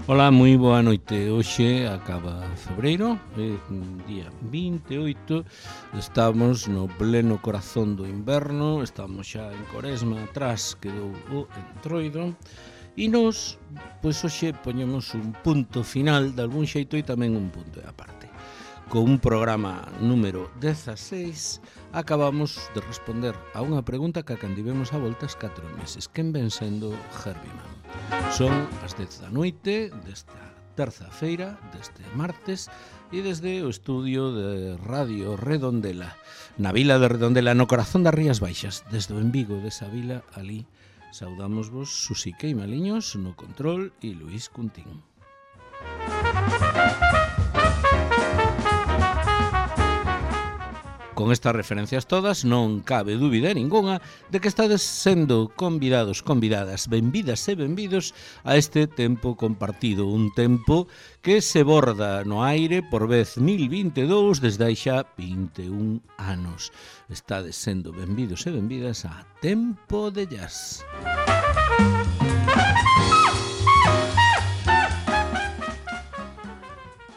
Ola, moi boa noite. Hoxe acaba febreiro, día 28, estamos no pleno corazón do inverno, estamos xa en Coresma, atrás quedou o entroido, e nos, pois hoxe poñemos un punto final de algún xeito e tamén un punto de aparte. Con un programa número 16 acabamos de responder a unha pregunta que candivemos a voltas 4 meses. Quen ven sendo Herbie Mann? Son as 10 da noite desta terza feira, deste martes, e desde o estudio de Radio Redondela, na vila de Redondela, no corazón das Rías Baixas, desde o embigo desa vila, ali saudámosvos Susi Queimaliños no control e Luís Cuntín. Con estas referencias todas non cabe dúbida ningunha de que estades sendo convidados, convidadas, benvidas e benvidos a este tempo compartido, un tempo que se borda no aire por vez 1022 desde hai xa 21 anos. Estades sendo benvidos e benvidas a Tempo de Jazz.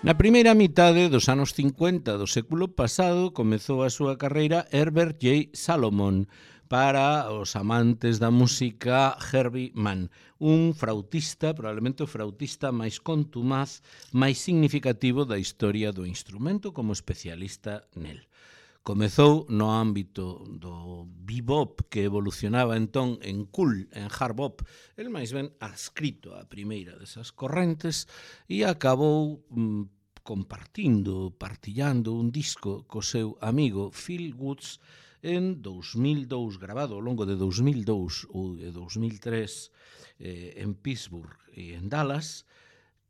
Na primeira mitade dos anos 50 do século pasado comezou a súa carreira Herbert J. Salomon, para os amantes da música Herbie Mann, un flautista, probablemente o flautista máis contumaz, máis significativo da historia do instrumento como especialista nel. Comezou no ámbito do bebop, que evolucionaba entón en cool, en hard bop, el máis ben adscrito á primeira desas correntes, e acabou partillando un disco co seu amigo Phil Woods en 2002, grabado ao longo de 2002 ou de 2003 en Pittsburgh e en Dallas,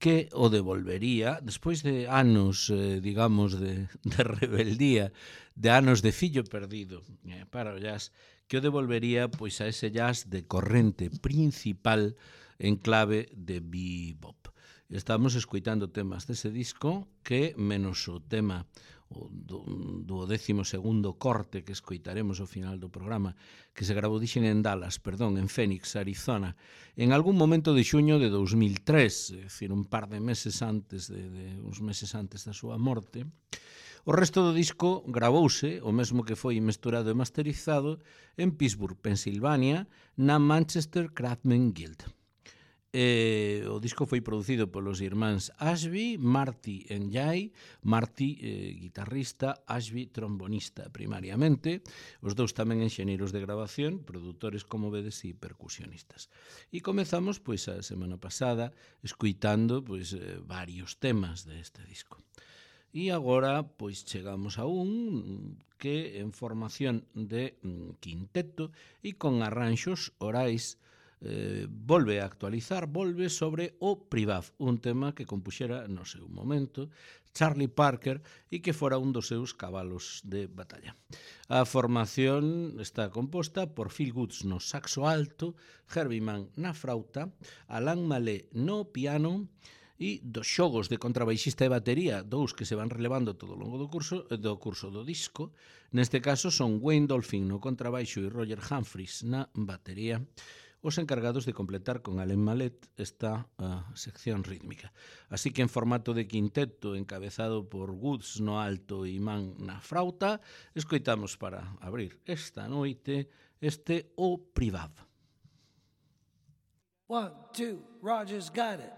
que o devolvería, despois de anos, digamos, de rebeldía, de anos de fillo perdido para o jazz, que o devolvería pois a ese jazz de corrente principal en clave de bebop. Estamos escoitando temas dese disco que, menos o tema do 12º corte que escoitaremos ao final do programa, que se gravou en Phoenix, Arizona, en algún momento de xuño de 2003, é dicir, un par de meses antes, uns meses antes da súa morte. O resto do disco gravouse, o mesmo que foi mesturado e masterizado, en Pittsburgh, Pensilvania, na Manchester Craftsman Guild. O disco foi producido polos irmáns Ashby, Marty e Jay, Marty guitarrista, Ashby trombonista primariamente, os dous tamén enxeñeiros de grabación, produtores como vedes e percusionistas. E comezamos pois a semana pasada escoitando pois varios temas deste disco. E agora pois chegamos a un que en formación de quinteto e con arranxos orais volve a actualizar, volve sobre o Privav, un tema que compuxera no seu momento Charlie Parker e que fora un dos seus cabalos de batalla. A formación está composta por Phil Woods no saxo alto, Herbie Mann na frauta, Alan Malé no piano e dos xogos de contrabaixista e batería, dous que se van relevando todo o longo do curso do disco. Neste caso son Wayne Dolphin no contrabaixo e Roger Humphries na batería, os encargados de completar con Alan Mallet esta sección rítmica. Así que en formato de quinteto, encabezado por Woods no alto e Mann na frauta, escoitamos para abrir esta noite este O Privav. 1, 2, Roger's got it.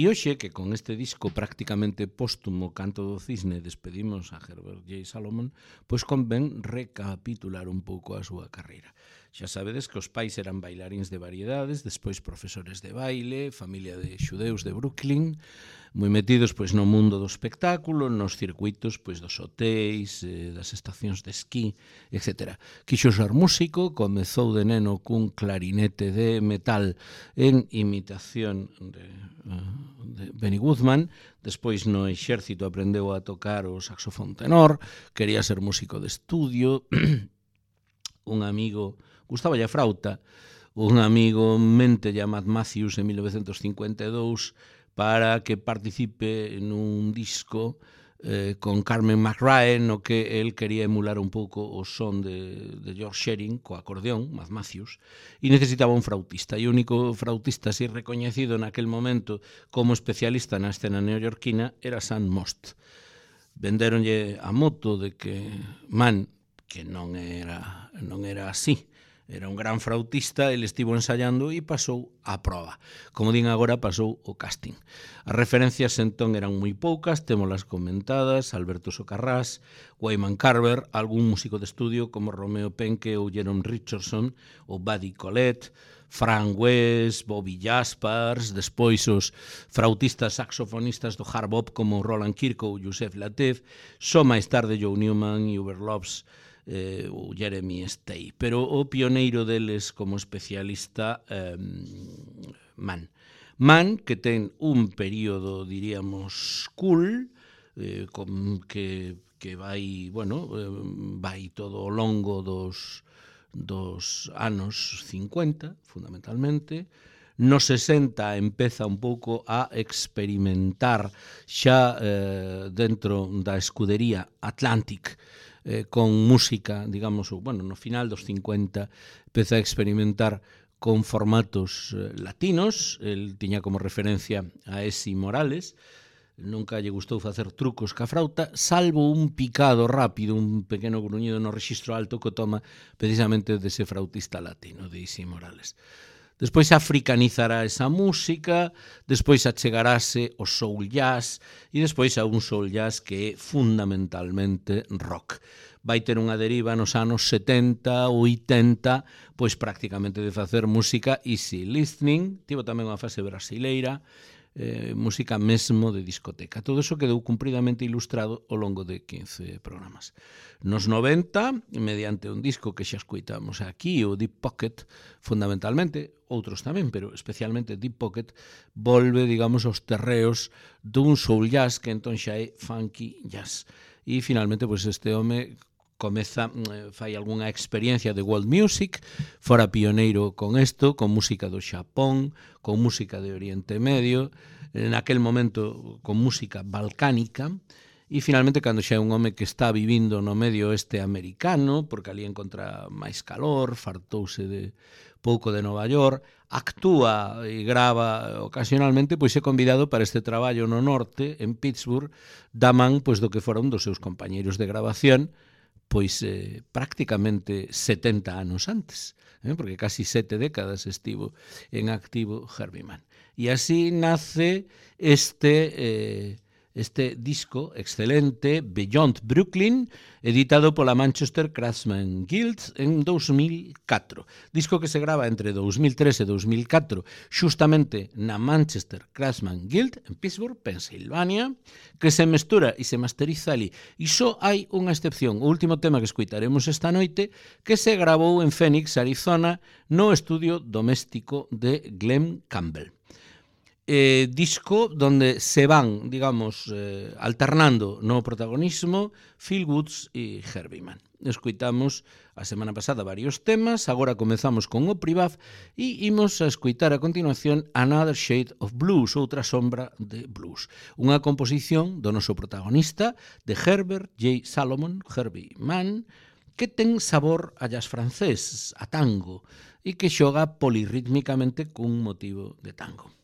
E hoxe, que con este disco prácticamente póstumo Canto do Cisne despedimos a Herbert J. Salomon, pois convén recapitular un pouco a súa carreira. Xa sabedes que os pais eran bailarins de variedades, despois profesores de baile, familia de xudeus de Brooklyn, moi metidos pois no mundo do espectáculo, nos circuitos pois dos hotéis, das estacións de esquí, etc. Quixo ser músico, comezou de neno cun clarinete de metal en imitación de Benny Goodman, despois no exército aprendeu a tocar o saxofón tenor, quería ser músico de estudio, un amigo, gustaba a frauta, un amigo mente a Matt Matthews en 1952 para que participe nun disco con Carmen McRae, no que el quería emular un pouco o son de George Shearing, co acordeón, Matt Matthews, e necesitaba un flautista. E o único flautista así recoñecido naquel momento como especialista na escena neoyorquina era Sam Most. Vendéronlle a moto de que Mann, que non era así, era un gran flautista, ele estivo ensayando e pasou a proba. Como din agora, pasou o casting. As referencias entón eran moi poucas, témolas comentadas, Alberto Socarrás, Wyman Carver, algún músico de estudio como Romeo Penke ou Jerome Richardson, ou Buddy Collette, Frank West, Bobby Jaspers, despois os frautistas saxofonistas do hard bop como Roland Kirk ou Joseph Lateef, só máis tarde Joe Newman e Hubert Loves, o Jeremy Stay, pero o pioneiro deles como especialista Mann, que ten un período, diríamos, cool, que vai, bueno, vai todo ao longo dos anos 50, fundamentalmente. No 60 empeza un pouco a experimentar xa dentro da escudería Atlantic, con música, digamos, bueno, no final dos 50 empeza a experimentar con formatos latinos. El tiña como referencia a Esi Morales, nunca lle gustou facer trucos ca frauta, salvo un picado rápido, un pequeno gruñido no rexistro alto que toma precisamente dese frautista latino, de Esi Morales. Despois africanizará esa música, despois achegarase o soul jazz e despois a un soul jazz que é fundamentalmente rock. Vai ter unha deriva nos anos 70, 80, pois prácticamente de facer música easy listening, tivo tamén unha fase brasileira, música mesmo de discoteca. Todo iso quedou cumpridamente ilustrado ao longo de 15 programas. Nos 90, mediante un disco que xa escoitamos aquí, o Deep Pocket, fundamentalmente, outros tamén, pero especialmente Deep Pocket, volve, digamos, aos terreos dun soul jazz que entón xa é funky jazz. E finalmente, pois este home comeza, fai algunha experiencia de world music, fora pioneiro con isto, con música do Xapón, con música de Oriente Medio, naquel momento con música balcánica, e finalmente cando xa é un home que está vivindo no medio oeste americano, porque ali encontra máis calor, fartouse de pouco de Nova York, actúa e grava ocasionalmente, pois é convidado para este traballo no norte, en Pittsburgh, da man pois do que fora un dos seus compañeiros de grabación, pois prácticamente 70 anos antes, porque casi 7 décadas estivo en activo Herbie Mann. E así nace este disco excelente, Beyond Brooklyn, editado pola Manchester Craftsman Guild en 2004. Disco que se grava entre 2003 e 2004, xustamente na Manchester Craftsman Guild, en Pittsburgh, Pensilvania, que se mestura e se masteriza ali. E só hai unha excepción, o último tema que escuitaremos esta noite, que se gravou en Phoenix, Arizona, no estudio doméstico de Glenn Campbell. Disco donde se van, digamos, alternando no protagonismo Phil Woods e Herbie Mann. Escoitamos a semana pasada varios temas, agora comezamos con o Privav e imos a escoitar a continuación Another Shade of Blues, outra sombra de blues. Unha composición do noso protagonista, de Herbert J. Salomon, Herbie Mann, que ten sabor a jazz francés, a tango, e que xoga polirrítmicamente cun motivo de tango.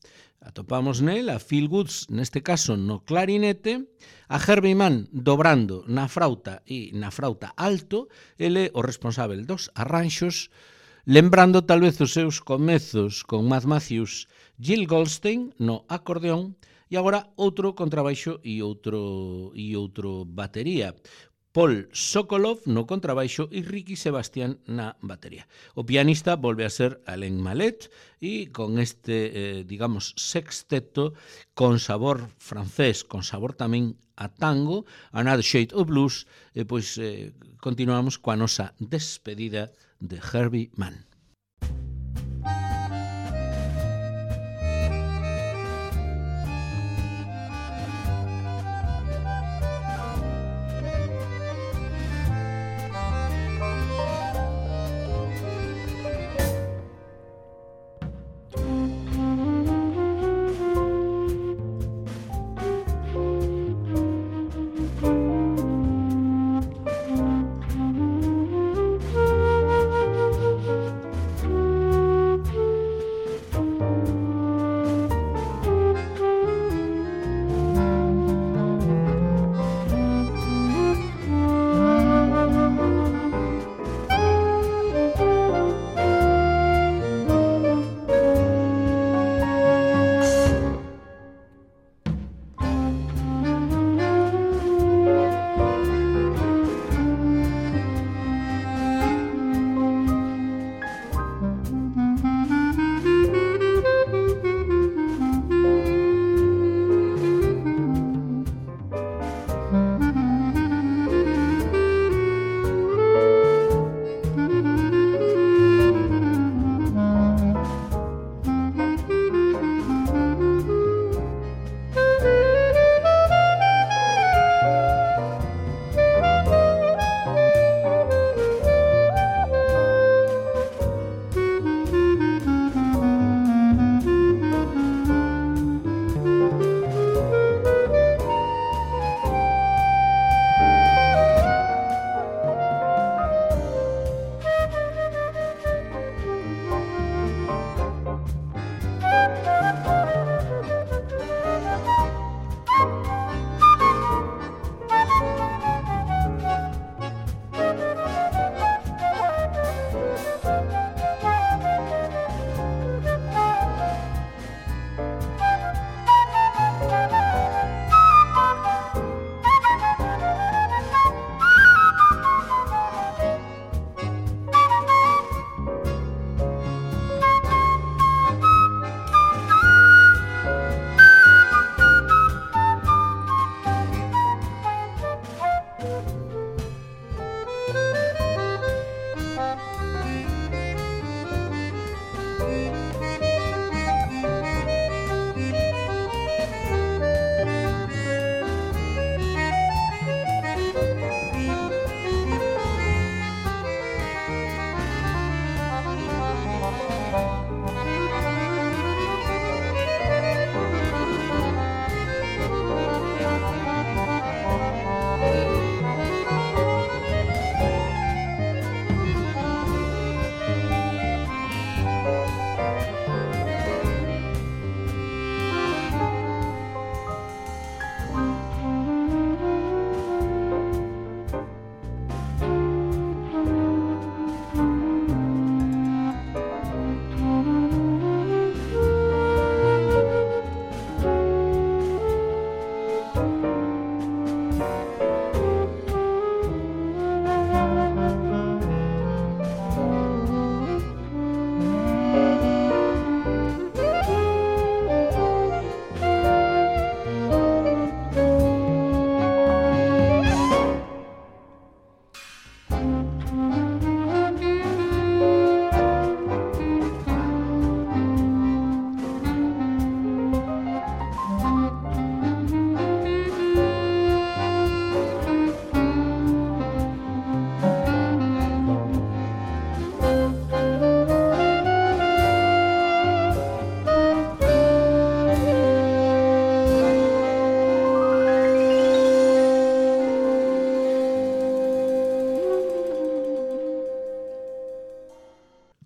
Atopamos nel a Phil Woods, neste caso no clarinete, a Herbie Mann dobrando na frauta e na frauta alto, ele o responsável dos arranxos, lembrando tal vez os seus comezos con Matt Matthews, Gil Goldstein no acordeón E agora outro contrabaixo e outro batería. Paul Sokolov no contrabaixo e Ricky Sebastián na batería. O pianista volve a ser Alain Mallet e con este, digamos, sexteto con sabor francés, con sabor tamén a tango, Another Shade of Blues, pois continuamos coa nosa despedida de Herbie Mann.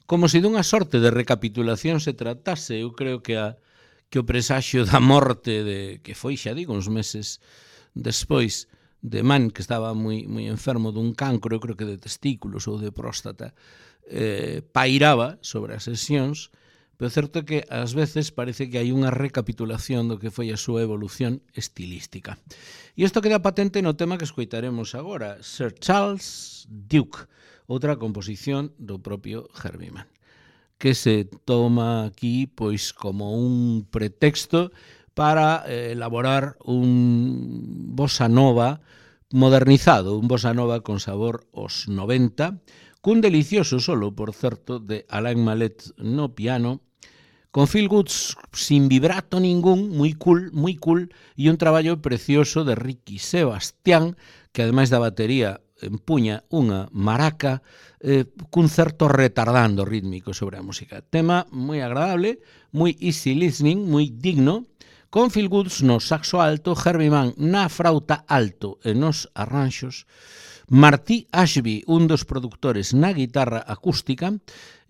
Como se dunha sorte de recapitulación se tratase, eu creo que o presaxio da morte que foi, xa digo, uns meses despois de Mann, que estaba moi enfermo dun cancro, eu creo que de testículos ou de próstata, pairaba sobre as sesións, pero certo é que ás veces parece que hai unha recapitulación do que foi a súa evolución estilística. E isto queda patente no tema que escoitaremos agora, Sir Charles Duke, outra composición do propio Herbie Mann, que se toma aquí pois como un pretexto para elaborar un bossa nova modernizado, un bossa nova con sabor aos 90, cun delicioso solo, por certo, de Alain Mallet no piano, con Phil Woods sin vibrato ningún, moi cool, e un traballo precioso de Ricky Sebastián, que ademais da batería empuña unha maraca cun certo retardando rítmico sobre a música. Tema moi agradable, moi easy listening, moi digno, con Phil Woods no saxo alto, Herbie Mann na frauta alto e nos arranxos, Marty Ashby, un dos productores na guitarra acústica,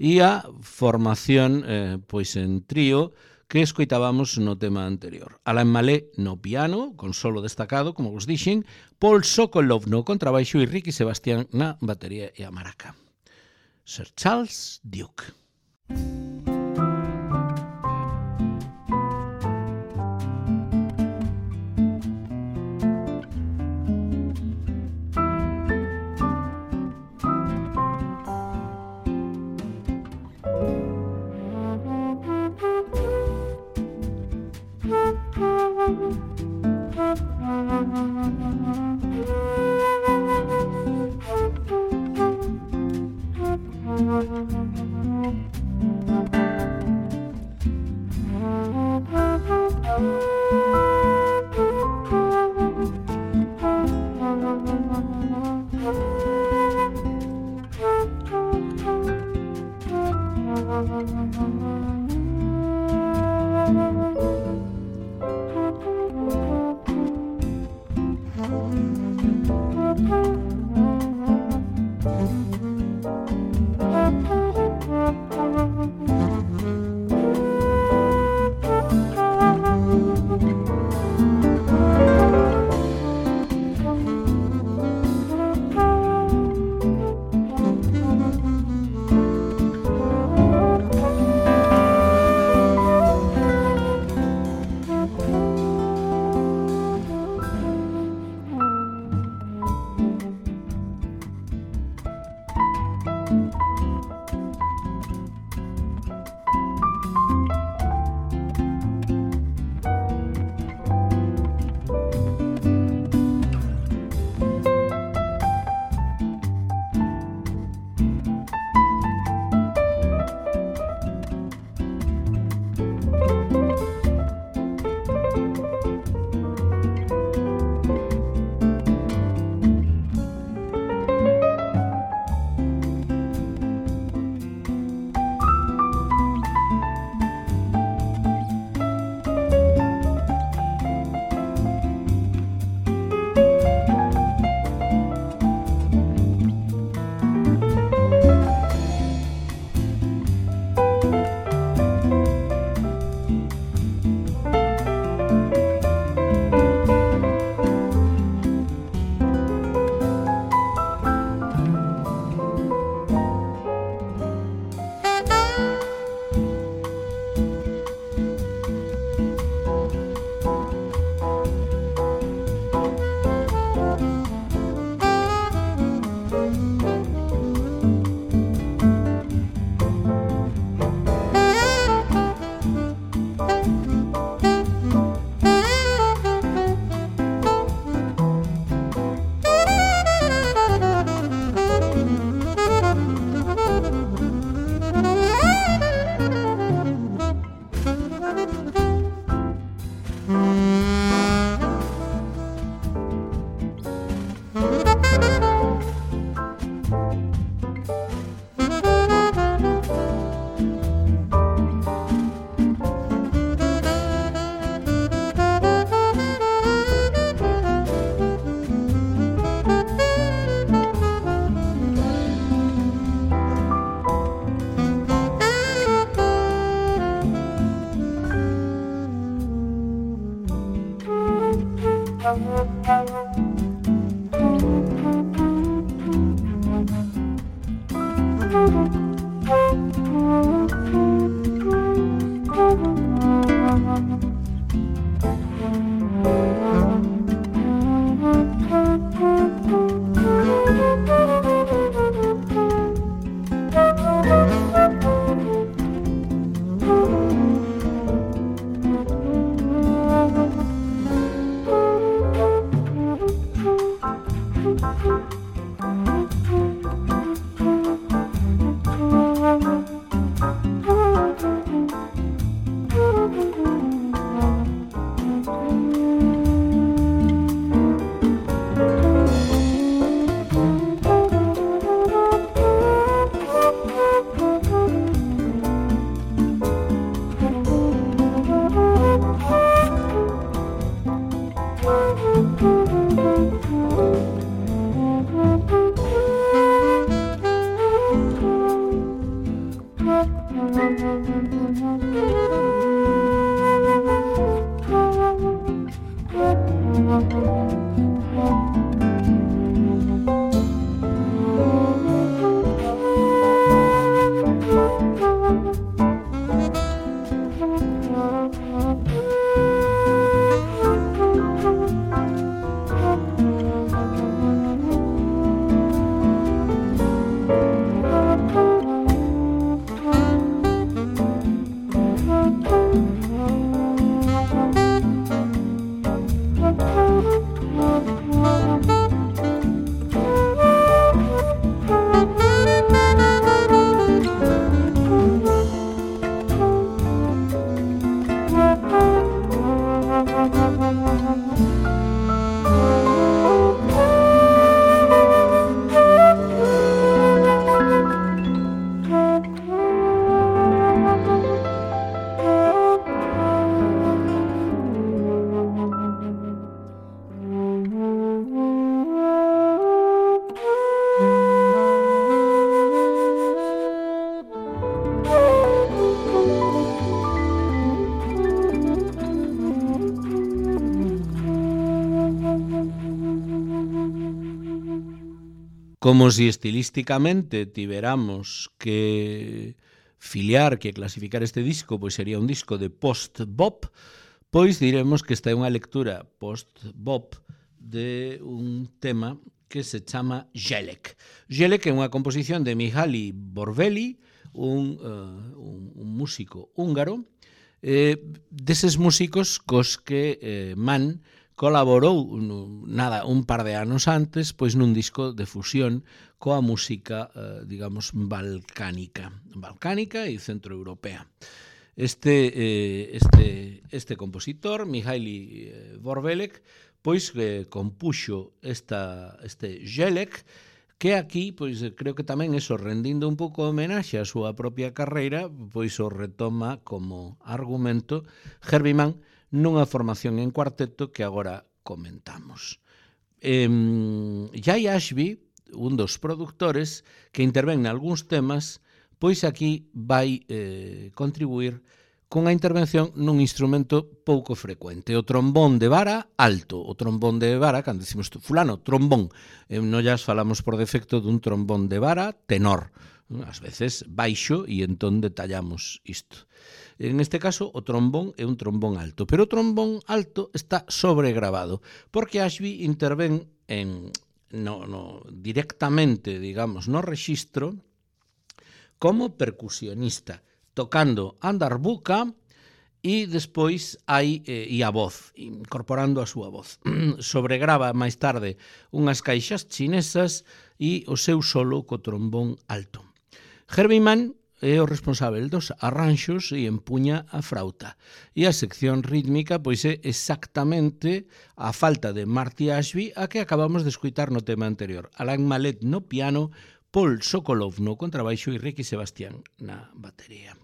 e a formación pois en trío que escoitábamos no tema anterior. Alain Mallet no piano, con solo destacado, como vos dixen, Paul Sokolov no contrabaixo e Ricky Sebastián na batería e a maraca. Sir Charles Duke. como si estilísticamente tiveramos que filiar, que clasificar este disco, pois sería un disco de post-bop, pois diremos que esta é unha lectura post-bop de un tema que se chama Jelek. Jelek é unha composición de Mihály Borbély, un músico húngaro, deses músicos cos que Mann colaborou un par de anos antes pois nun disco de fusión coa música, digamos, balcánica e centroeuropea. Este compositor, Mihály Borbély, pois compuxo este Jelek, que aquí, pois creo que tamén eso, rendindo un pouco homenaxe á súa propia carreira, pois o retoma como argumento Herbie Mann nunha formación en cuarteto que agora comentamos. Jay Ashby, un dos produtores que intervén nalgúns temas, pois aquí vai contribuir cunha intervención nun instrumento pouco frecuente, o trombón de vara alto. O trombón de vara, cando decimos fulano, trombón, non llas falamos por defecto dun trombón de vara tenor, ás veces baixo, e entón detallamos isto. En este caso, o trombón é un trombón alto, pero o trombón alto está sobregravado, porque Ashby intervén directamente, digamos, no rexistro como percusionista, tocando a darbuka e despois hai a voz, incorporando a súa voz. Sobregrava máis tarde unhas caixas chinesas e o seu solo co trombón alto. Herbie Mann é o responsável dos arranxos e empuña a frauta. E a sección rítmica pois é exactamente a falta de Marty Ashby a que acabamos de escutar no tema anterior. Alain Mallet no piano, Paul Sokolov no contrabaixo e Ricky Sebastián na batería.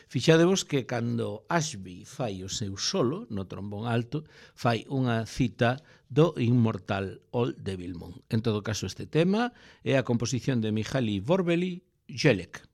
Fixadevos que cando Ashby fai o seu solo no trombón alto, fai unha cita do inmortal Old Devil Moon. En todo caso, este tema é a composición de Mihály Borbély, Jelek.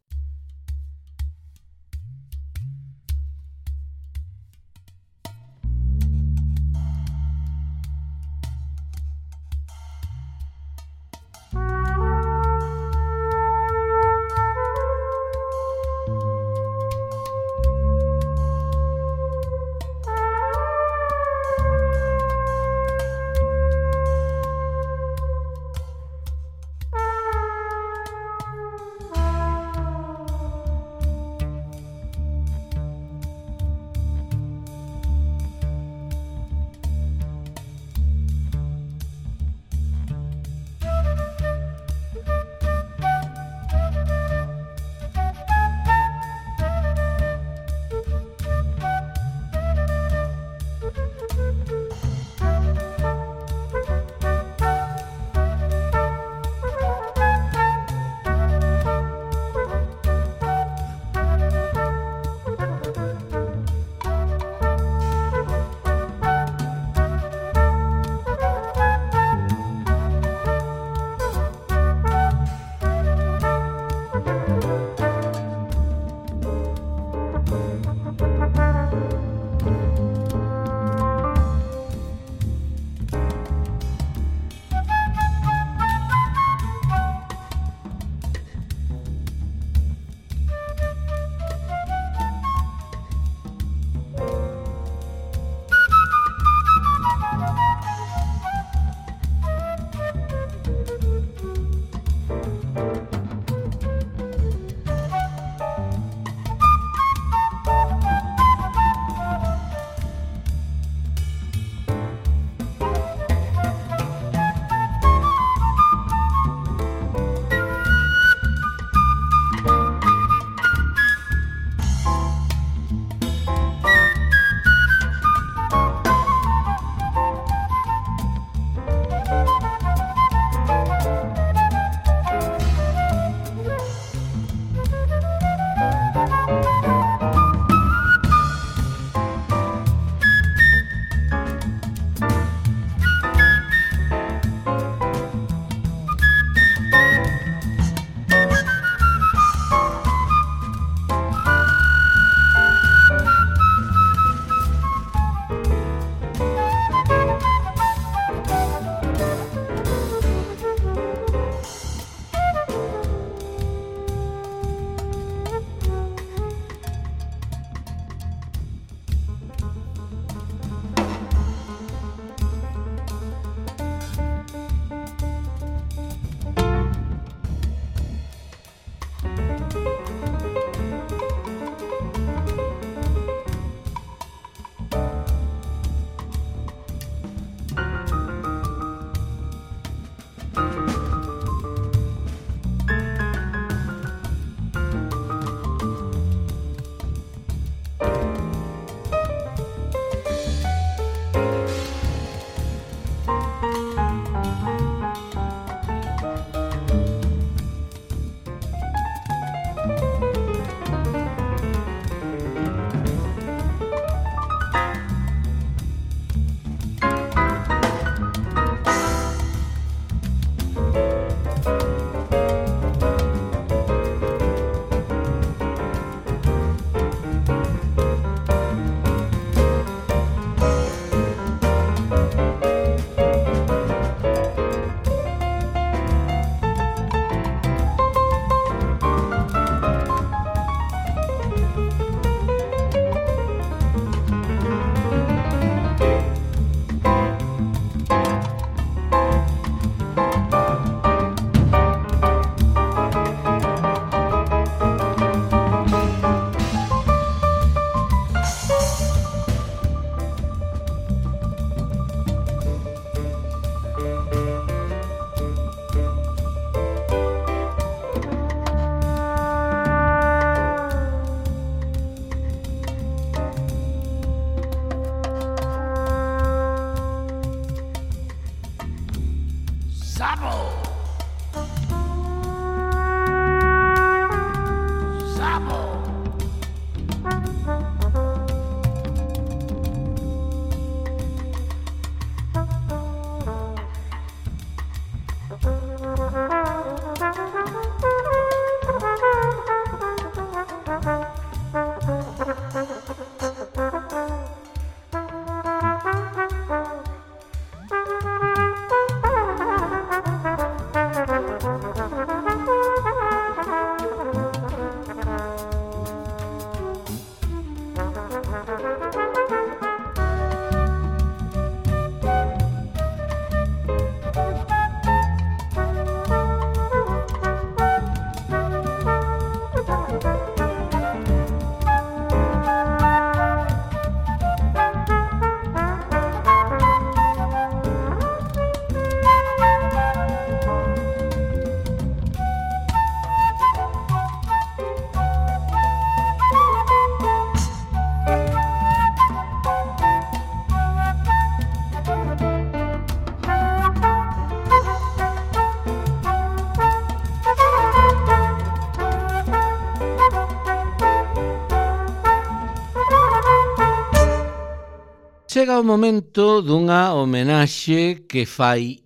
Chega o momento dunha homenaxe que fai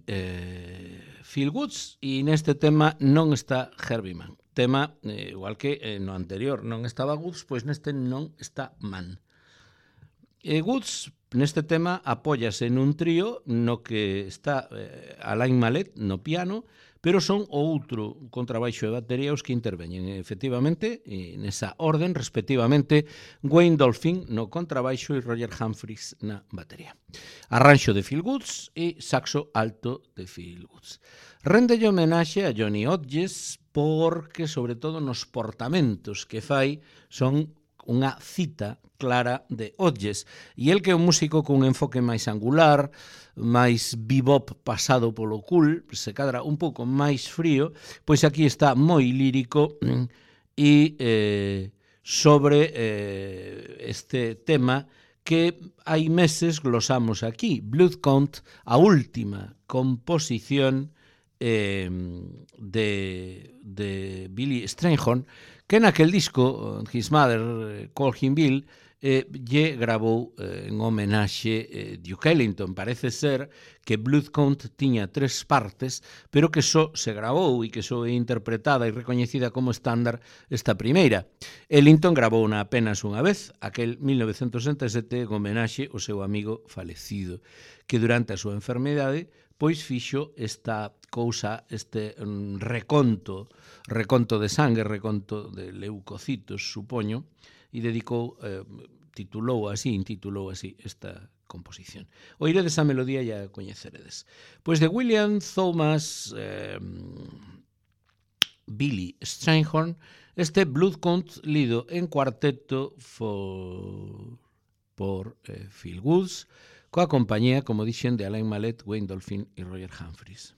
Phil Woods e neste tema non está Herbie Mann. Tema, igual que no anterior non estaba Woods, pois neste non está Mann. Woods neste tema apóllase nun trío no que está Alain Mallet no piano, pero son o outro contrabaixo e batería os que interveñen efectivamente nesa orden, respectivamente Wayne Dolphin no contrabaixo e Roger Humphries na batería. Arranxo de Phil Woods e saxo alto de Phil Woods. Réndelle homenaxe a Johnny Hodges porque, sobre todo, nos portamentos que fai son unha cita clara de Hodges. E el que é un músico cun enfoque máis angular, máis bebop pasado polo cool, se cadra un pouco máis frío, pois aquí está moi lírico e sobre este tema que hai meses glosamos aquí, Blood Count, a última composición de Billy Strayhorn, que naquel disco, His Mother Called Him Bill, lle gravou en homenaxe Duke Ellington. Parece ser que Blood Count tiña 3 partes, pero que só se gravou e que só é interpretada e recoñecida como estándar esta primeira. Ellington gravou apenas unha vez, aquel 1967, en homenaxe ao seu amigo falecido, que durante a súa enfermidade pois fixo esta cousa, este reconto de sangue, reconto de leucocitos, supoño, e dedicou, intitulou así esta composición. Oiredes a melodía e a coñeceredes. Pois de William Thomas Billy Strayhorn, este Blood Count lido en cuarteto por Phil Woods, coa compañía, como dixen, de Alain Mallet, Wayne Dolphin e Roger Humphries.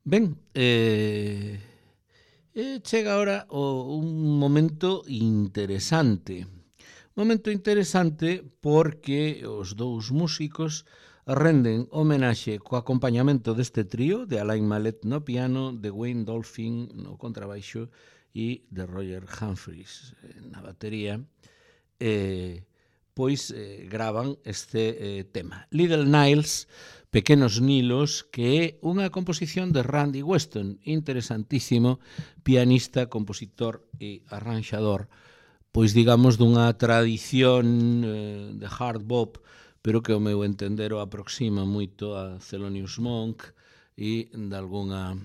Ben, chega agora un momento interesante. Momento interesante porque os dous músicos renden homenaxe co acompañamento deste trío de Alain Mallet no piano, de Wayne Dolphin no contrabaixo e de Roger Humphries na batería, pois gravan este tema. Little Niles, Pequenos Nilos, que é unha composición de Randy Weston, interesantísimo pianista, compositor e arranxador, pois digamos dunha tradición de hard bop, pero que ao meu entender o aproxima moito a Thelonious Monk e de alguna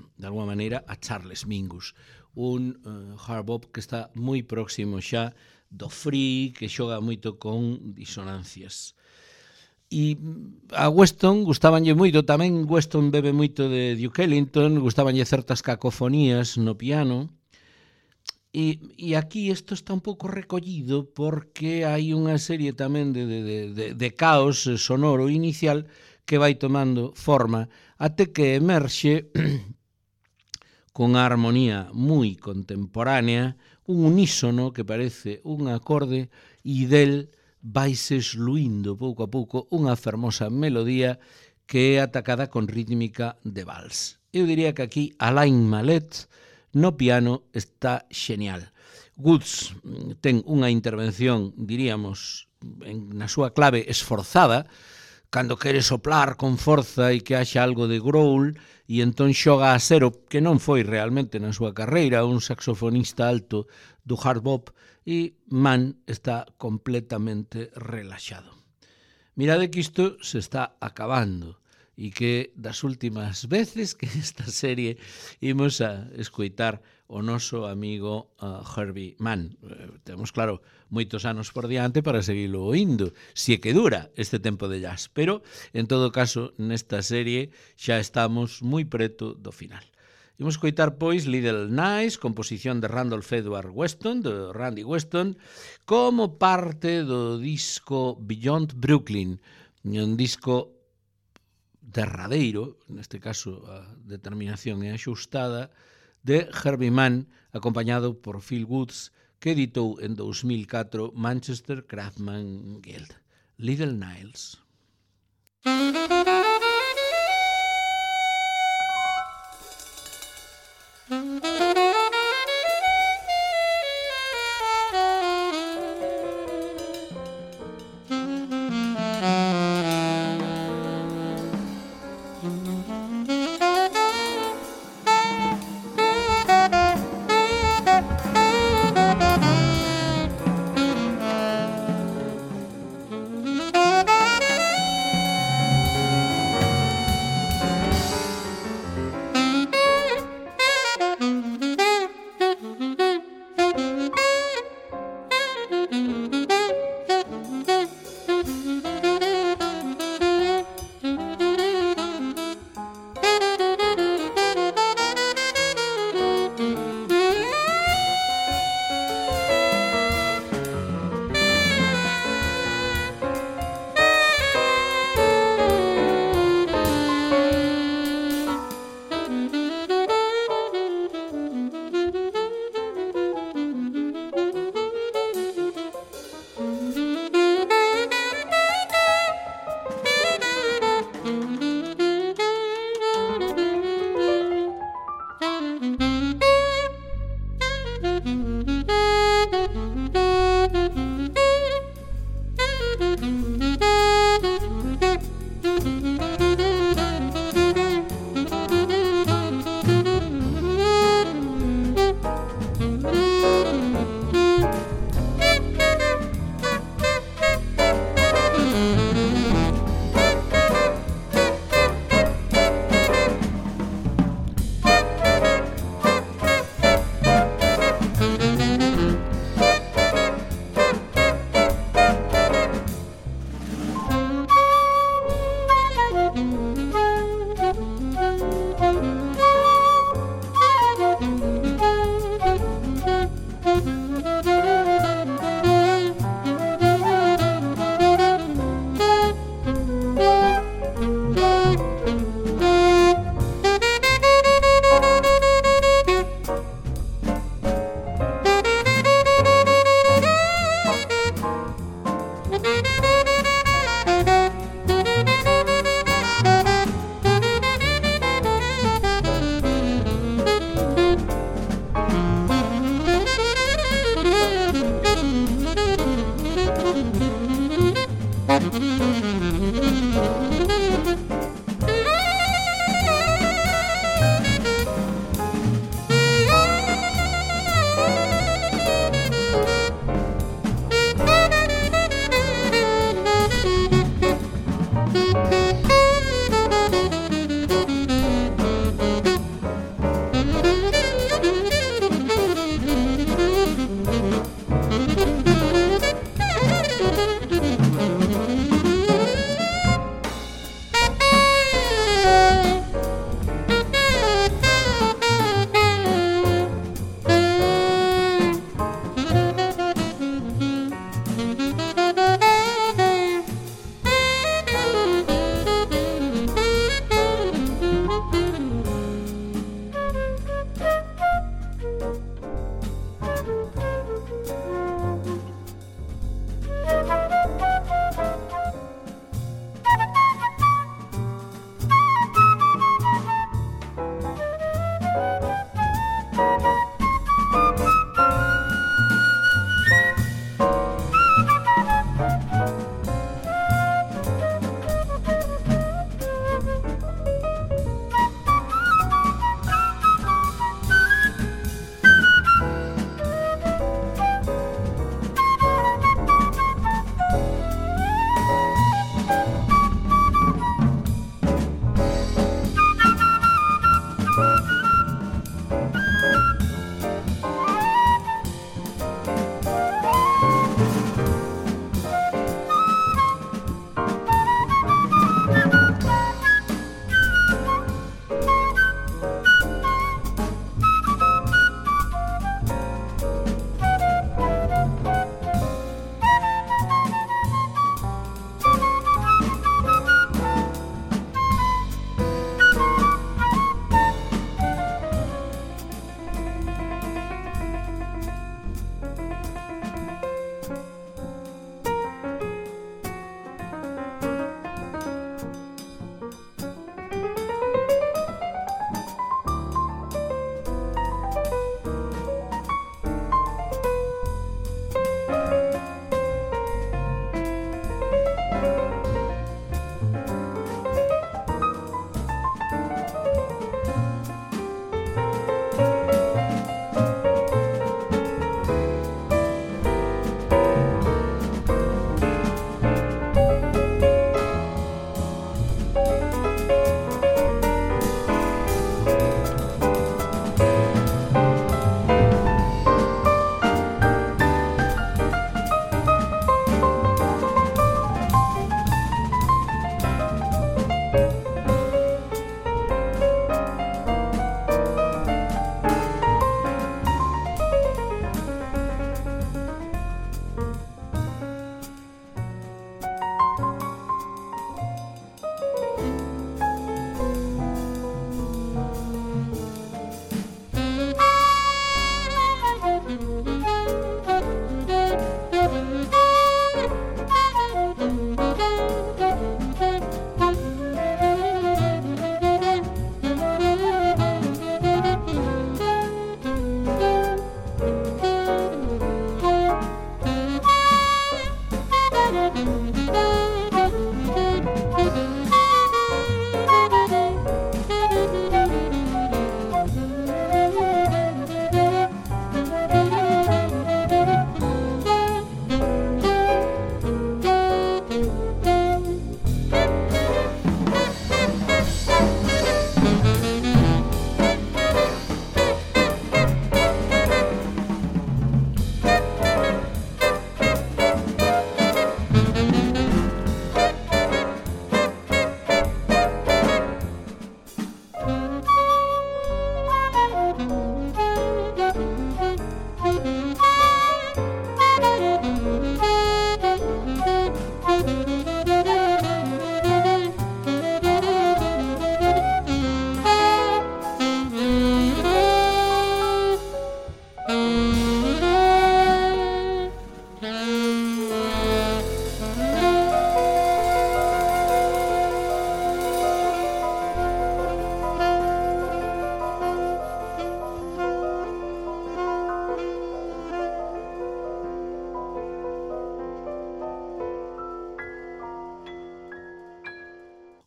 maneira a Charles Mingus, un hard bop que está moi próximo xa do free, que xoga moito con disonancias. E a Weston gustabanlle moito, tamén Weston bebe moito de Duke Ellington, gustabanlle certas cacofonías no piano, e aquí isto está un pouco recollido porque hai unha serie tamén de caos sonoro inicial que vai tomando forma até que emerxe con a armonía moi contemporánea, un unísono que parece un acorde e del vaise esluindo pouco a pouco unha fermosa melodía que é atacada con rítmica de vals. Eu diría que aquí Alain Mallet no piano está xenial. Woods ten unha intervención, diríamos, na súa clave esforzada, cando quere soplar con forza e que haxa algo de growl, e entón xoga a cero, que non foi realmente na súa carreira, un saxofonista alto do hard bop, e Mann está completamente relaxado. Mirade que isto se está acabando, e que das últimas veces que esta serie imos a escoitar o noso amigo Herbie Mann. Temos, claro, moitos anos por diante para seguilo oindo, se é que dura este tempo de jazz, pero, en todo caso, nesta serie xa estamos moi preto do final. Imos coitar, pois, Little Nice, composición de Randolph Edward Weston, de Randy Weston, como parte do disco Beyond Brooklyn, un disco derradeiro, neste caso a determinación é axustada, de Herbie Mann, acompañado por Phil Woods, que editou en 2004 Manchester Craftsman Guild. Little Niles.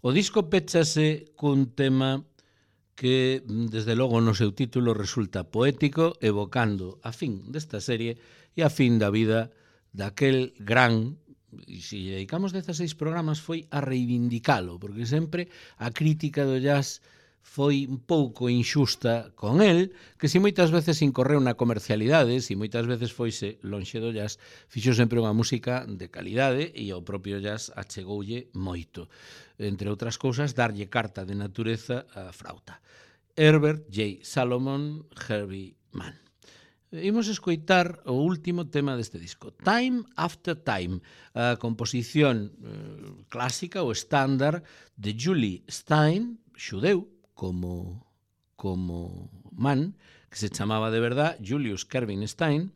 O disco péchase cun tema que, desde logo, no seu título resulta poético, evocando a fin desta serie e a fin da vida daquel gran, e se lle dedicamos 16 programas, foi a reivindicalo, porque sempre a crítica do jazz foi un pouco inxusta con el, que si moitas veces incorreu na comercialidade, si moitas veces foise lonxe do jazz, fixo sempre unha música de calidade e ao propio jazz achegoulle moito. Entre outras cousas, darlle carta de natureza á frauta. Herbert J. Salomon, Herbie Mann. Imos escoitar o último tema deste disco, Time After Time, a composición clásica ou estándar de Julie Stein, xudeu, como Mann, que se chamaba de verdad Julius Kervin Stein,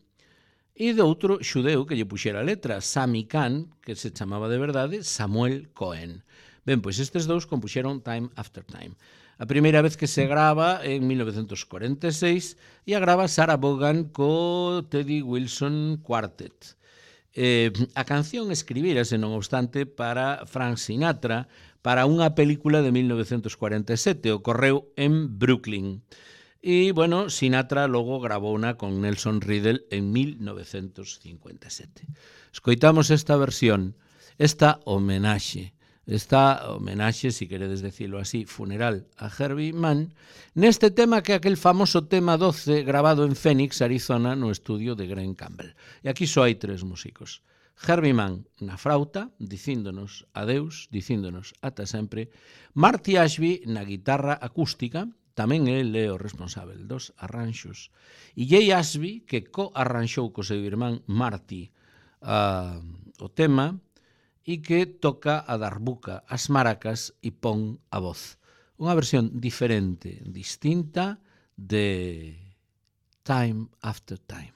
e de outro xudeu que lle puxera a letra, Sammy Cahn, que se chamaba de verdade Samuel Cohen. Ben, pois estes dous compuxeron Time After Time. A primeira vez que se grava en 1946 e a grava Sarah Vaughan co Teddy Wilson Quartet. A canción escribírase, non obstante, para Frank Sinatra, para unha película de 1947, ocorreu en Brooklyn. E, bueno, Sinatra logo gravouna con Nelson Riddle en 1957. Escoitamos esta versión, esta homenaxe, si queredes decirlo así, funeral a Herbie Mann, neste tema que é aquel famoso tema 12 grabado en Phoenix, Arizona, no estudio de Glen Campbell. E aquí só hai tres músicos. Herbie Mann na frauta, dicíndonos adeus, dicíndonos ata sempre. Marty Ashby na guitarra acústica, tamén el é o responsável dos arranxos. E Jay Ashby, que co-arranxou co seu irmán Marty o tema, e que toca a darbuca, as maracas e pon a voz. Unha versión diferente, distinta de Time After Time.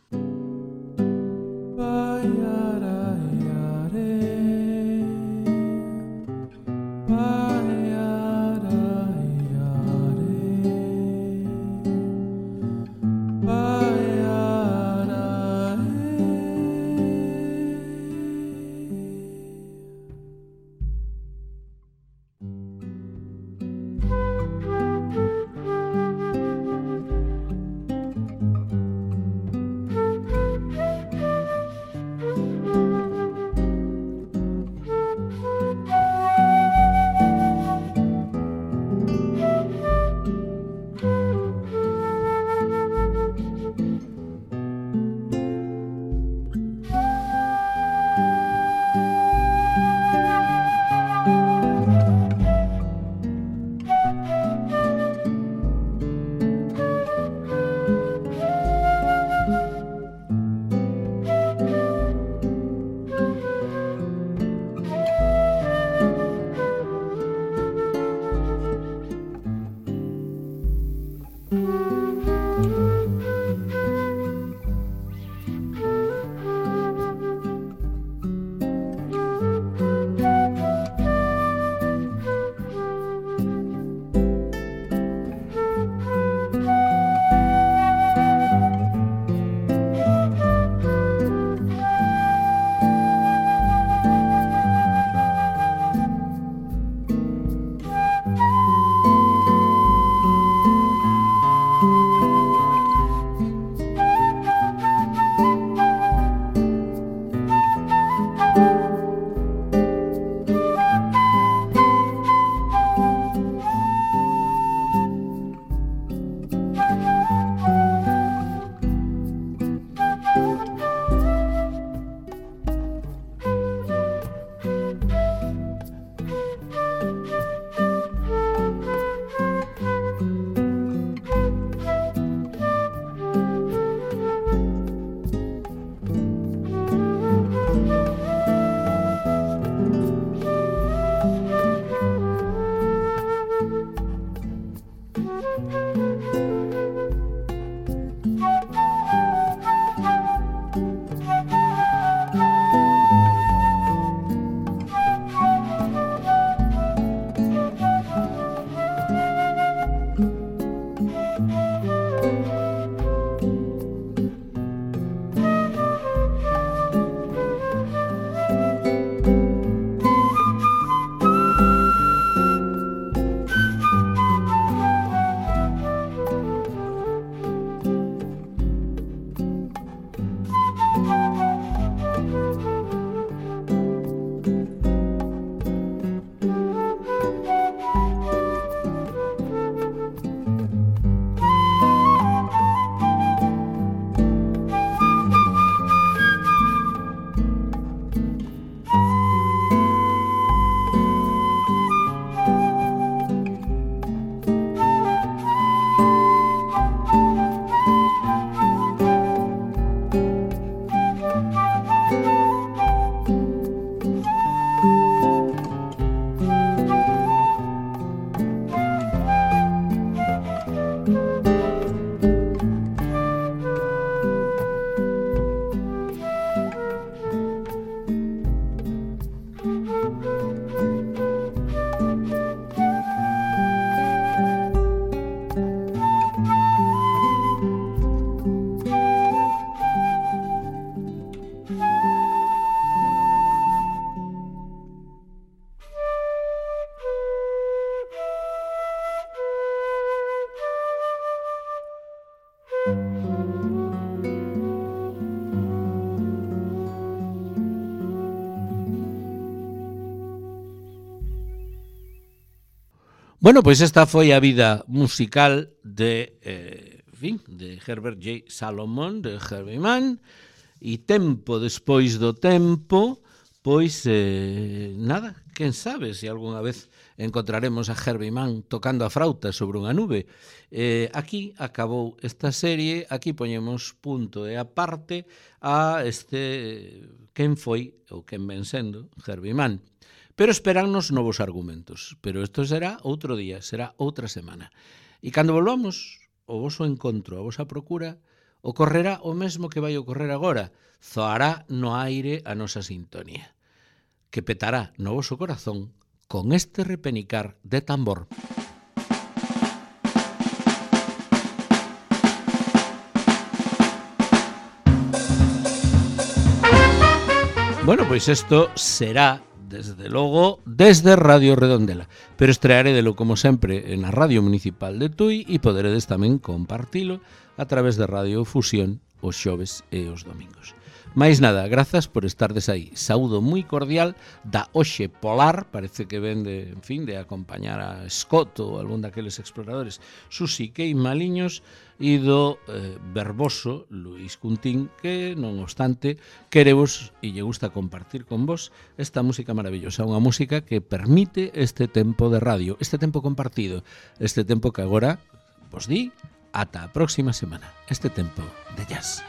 Bueno, pois esta foi a vida musical de Herbert J. Salomon, de Herbie Mann, e tempo despois do tempo, pois nada, quen sabe se algunha vez encontraremos a Herbie Mann tocando a frauta sobre unha nube. Aquí acabou esta serie, aquí poñemos punto e aparte a quen foi ou quen ven sendo Herbie Mann. Pero esperannos novos argumentos. Pero isto será outro día, será outra semana. E cando volvamos, o voso encontro, a vosa procura, ocorrerá o mesmo que vai ocorrer agora. Zoará no aire a nosa sintonía, que petará no voso corazón con este repenicar de tambor. Bueno, pois isto será desde logo, desde Radio Redondela. Pero estrearédelo, como sempre, na Radio Municipal de Tui e poderedes tamén compartilo a través de Radio Fusión os xoves e os domingos. Mais nada, grazas por estardes aí. Saúdo moi cordial da Oxe Polar, parece que ven de, en fin, de acompañar a Scott ou algún daqueles exploradores, Susi Kei Maliños, e do verboso Luis Cuntín, que, non obstante, querevos e lle gusta compartir con vos esta música maravillosa, unha música que permite este tempo de radio, este tempo compartido, este tempo que agora vos di ata a próxima semana, este tempo de jazz.